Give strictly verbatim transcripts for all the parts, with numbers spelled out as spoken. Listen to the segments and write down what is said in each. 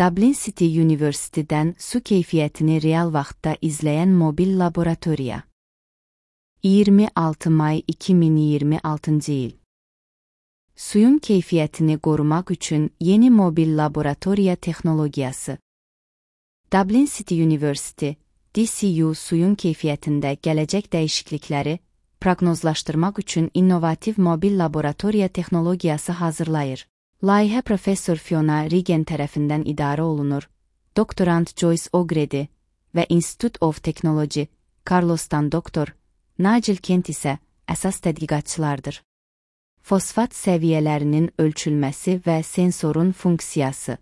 Dublin City University'dən su keyfiyyətini real vaxtda izləyən mobil laboratoriya. iyirmi altı may iki min iyirmi altıncı il. Suyun keyfiyyətini qorumaq üçün yeni mobil laboratoriya texnologiyası. Dublin City University, D C U suyun keyfiyyətində gələcək dəyişiklikləri proqnozlaşdırmaq üçün innovativ mobil laboratoriya texnologiyası hazırlayır. Layihə Professor Fiona Regan tərəfindən idarə olunur, doktorant Joyce O'Grady və Institute of Technology, Carlos'tan doktor Nigel Kent isə əsas tədqiqatçılardır. Fosfat səviyyələrinin ölçülməsi və sensorun funksiyası.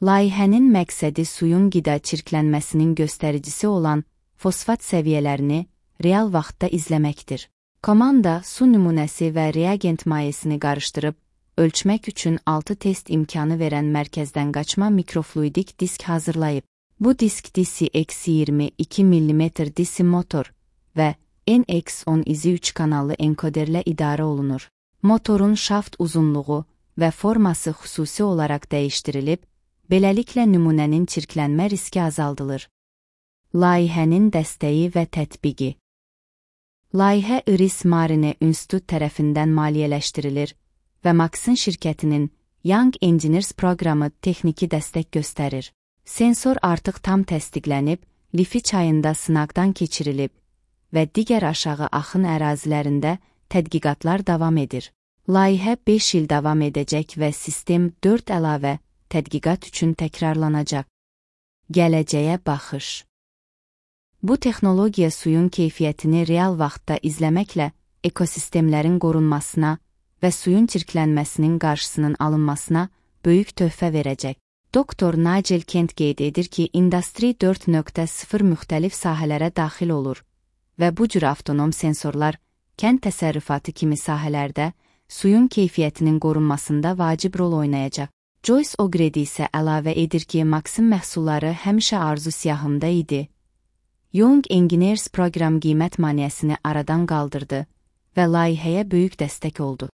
Layihənin məqsədi suyun qida çirklənməsinin göstəricisi olan fosfat səviyyələrini real vaxtda izləməkdir. Komanda su nümunəsi və reagent mayesini qarışdırıb, ölçmək üçün altı test imkanı verən mərkəzdən qaçma mikrofluidik disk hazırlayıb. Bu disk D C X iyirmi iki millimetr D C motor və N X on izi üç kanallı enkoderlə idarə olunur. Motorun şaft uzunluğu və forması xüsusi olaraq dəyişdirilib, beləliklə nümunənin çirklənmə riski azaldılır. Layihənin dəstəyi və tətbiqi. Layihə Iris Marine İnstitut tərəfindən maliyyələşdirilir və Maxın şirkətinin Young Engineers proqramı texniki dəstək göstərir. Sensor artıq tam təsdiqlənib, Lifi çayında sınaqdan keçirilib və digər aşağı axın ərazilərində tədqiqatlar davam edir. Layihə beş il davam edəcək və sistem dörd əlavə tədqiqat üçün təkrarlanacaq. Gələcəyə baxış. Bu texnologiya suyun keyfiyyətini real vaxtda izləməklə ekosistemlərin qorunmasına və suyun çirklənməsinin qarşısının alınmasına böyük töhfə verəcək. Doktor Nigel Kent qeyd edir ki, Industry dörd nöqtə sıfır müxtəlif sahələrə daxil olur və bu cür avtonom sensorlar kənd təsərrüfatı kimi sahələrdə suyun keyfiyyətinin qorunmasında vacib rol oynayacaq. Joyce O'Grady isə əlavə edir ki, Maxın məhsulları həmişə arzu siyahımda idi. Young Engineers proqram qiymət maneəsini aradan qaldırdı və layihəyə böyük dəstək oldu.